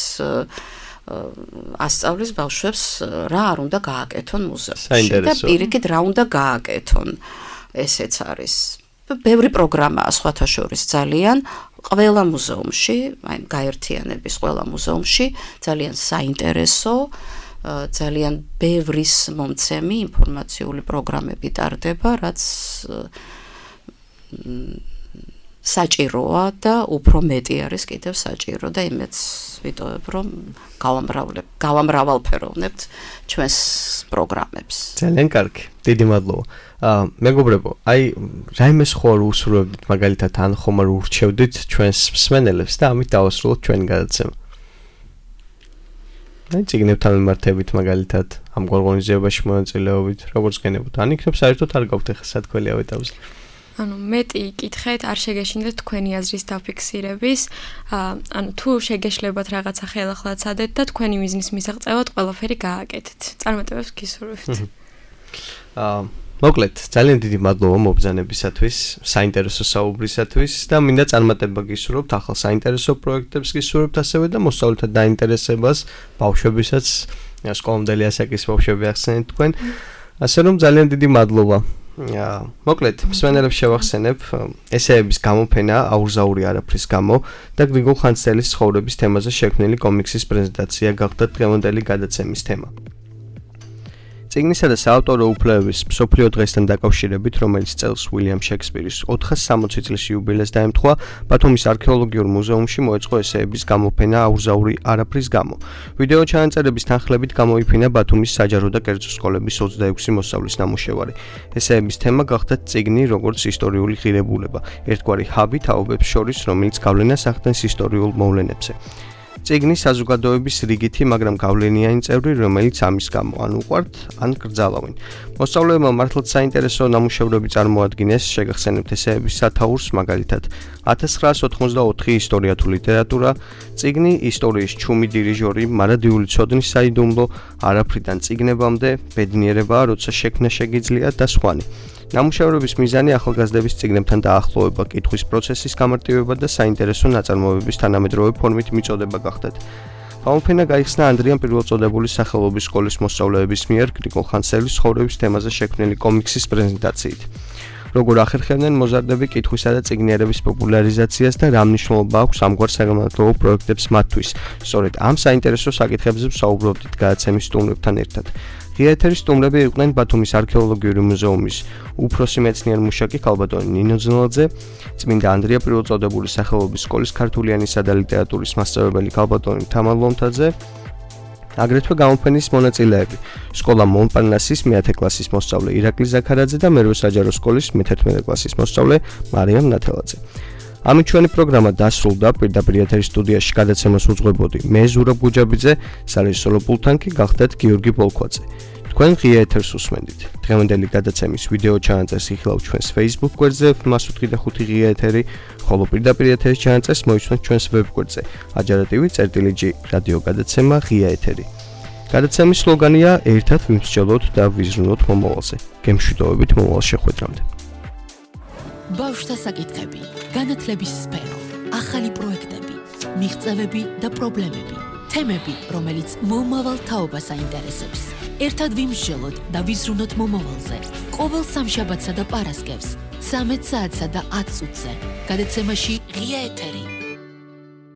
ასწავლის ბავშვებს რა არ უნდა გააკეთონ მუზეუმში და პირიქით რა უნდა გააკეთონ. ესეც არის ბევრი პროგრამაა სხვათა შორის ძალიან ყველა მუზეუმში, აი გაერთიანების ყველა მუზეუმში ძალიან საინტერესო, ძალიან ბევრის მომცემი ინფორმაციული პროგრამები ტარდება, რაც საჭიროა და უფრო მეტი არის კიდევ საჭირო და იმედს ვიტოვებ, რომ გავამრავალფეროვნებთ ჩვენს პროგრამებს. ძალიან კარგი. დიდი მადლობა. მეგობრებო, აი რაიმეს ხო არ უსურვებდით მაგალითად ან ხომ არ ურჩევდით ჩვენს მსმენელებს და ამით დავასრულოთ ჩვენი გადაცემა. აი ციგნებთან მიმართებით მაგალითად ამ ორგანიზებაში მონაწილეობით, როგორც გენებოთ, ან იქნებ საერთოდ არ გაქვთ ახლა სათქველიავე თავზე. ანუ მეტი კითხეთ, არ შეგეშინდეთ თქვენი აზრის დაფიქსირების, ანუ თუ შეგეშლებათ რაღაცა ხელახლა ცადეთ და თქვენი მიზნის მისაღწევად ყველაფერი გააკეთეთ. წარმატებებს გისურვებთ. მოკლედ, ძალიან დიდი მადლობა მობრძანებისათვის, საინტერესო საუბრისათვის და მინდა წარმატება გისურვებთ ახალ საინტერესო პროექტებს გისურვებთ ასევე და მოსწავლეთა დაინტერესებას ბავშვებისაც, სკოლამდელი ასაკის ბავშვები ახსენეთ თქვენ. ასე რომ ძალიან დიდი მადლობა. მოკლედ, მსმენელებს შევახსენებ, ესეების გამოფენა აურზაური არაფრის გამო და გრიგოლ ხანძთელის ცხოვრების თემაზე შექმნილი კომიქსის პრეზენტაცია გახდა დღევანდელი გადაცემის თემა. წიგნისა და საავტორო უფლებების მსოფლიო დღესთან დაკავშირებით, რომელიც წელს უილიამ შექსპირის 460 წლის იუბილეს დაემთხვა, ბათუმის არქეოლოგიურ მუზეუმში მოეწყო ესეების გამოფენა აურზაური არაფრის გამო. ვიდეო ჩანაწერების თანხლებით გამოიფინა ბათუმის საჯარო და კერძო სკოლების 26 მოსწავლის ნამუშევარი. ესეების თემა გახდა წიგნი, როგორც ისტორიული ღირებულება, ერთგვარი ჰაბი თაობებს შორის, რომელიც გავლენას ახდენს ისტორიულ მოვლენებზე. წიგნი საზოგადოების რიგითი, მაგრამ გავლენიანი წევრი, რომელიც ამის გამო ან უყვართ, ან კრძალავენ. მოსწავლეებმა მართლაც საინტერესო ნამუშევრები წარმოადგინეს, შეგახსენებთ ესეების სათაურს, მაგალითად 1984 ისტორია თუ ლიტერატურა, წიგნი ისტორიის ჩუმი დირიჟორი, მარადიული ცოდნის საიდუმლო, არაფრიდან წიგნებამდე, ბედნიერებაა, როცა შექმნა შეგიძლია და სხვანი. ნამუშევრების მიზანი ახალგაზრდების წიგნებთან დაახლოება, კითხვის პროცესის გამარტივება და საინტერესო ნაწარმოებების თანამედროვე ფორმით მიწოდება გახდათ. გამოფენა გაიხსნა ანდრიამ პირველწოდებულის სახელობის სკოლის მოსწავლეების მიერ გრიგოლ ხანძთელის ცხოვრების თემაზე შექმნილი კომიქსის პრეზენტაციით. როგორ ახერხებდნენ მოზარდები კითხვისა და წიგნიერების პოპულარიზაციას და რა მნიშვნელობა აქვს ამგვარ საგანმანათლებლო პროექტებს მათთვის. სწორედ ამ საინტერესო საკითხებზე ვსაუბრობდით გადაცემის სტუმრებთან ერთად. ღია ეთერის სტუმრები იყვნენ ბათუმის არქეოლოგიური მუზეუმის უფროსი მეცნიერ-მუშაკი ქალბატონი ნინო ძნელაძე, წმინდა ანდრია პირველწოდებულის სახელობის სკოლის ქართული ენისა და ლიტერატურის მასწავლებელი ქალბატონი თამარ ლომთაძე, აგრეთვე გამოფენის მონაწილეები: სკოლა მონპარნასის მე-10 კლასის მოსწავლე ირაკლი ზაქარაძე და მერვე საჯარო სკოლის მე-11 კლასის მოსწავლე მარიამ ნათელაძე. ამით ჩვენი პროგრამა დასრულდა. პირდაპირ ეთერის სტუდიაში გადაცემას უძღვებოდი მე ზურაბ გუჯაბიძე, სარეჟისორო პულტთან კი გახდათ გიორგი ბოლქვაძე. თქვენ ღია ეთერს უსმენდით. დღევანდელი გადაცემის ვიდეო ჩანაწერს იხილავთ ჩვენს Facebook გვერდზე FMAS-5 ღია ეთერი, ხოლო პირდაპირ ეთერის ჩანაწერს მოიცნობთ ჩვენს ვებ გვერდზე ajarativi.g რადიო გადაცემა ღია ეთერი. გადაცემის სლოგანია ერთად ვიმსჯელოთ და ვიზრუნოთ მომავალზე. გემშვიდობებით მომავალ შეხვედრამდე. ბავშვთა საკითხები, განათლების სფერო, ახალი პროექტები, მიღწევები და პრობლემები, თემები, რომელიც მომავალ თაობას აინტერესებს. ერთად ვიმსჯელოთ და ვიზრუნოთ მომავალზე. ყოველ სამშაბათსა და პარასკევს 13 საათსა და 10 წუთზე. გადაცემაში ღია ეთერი.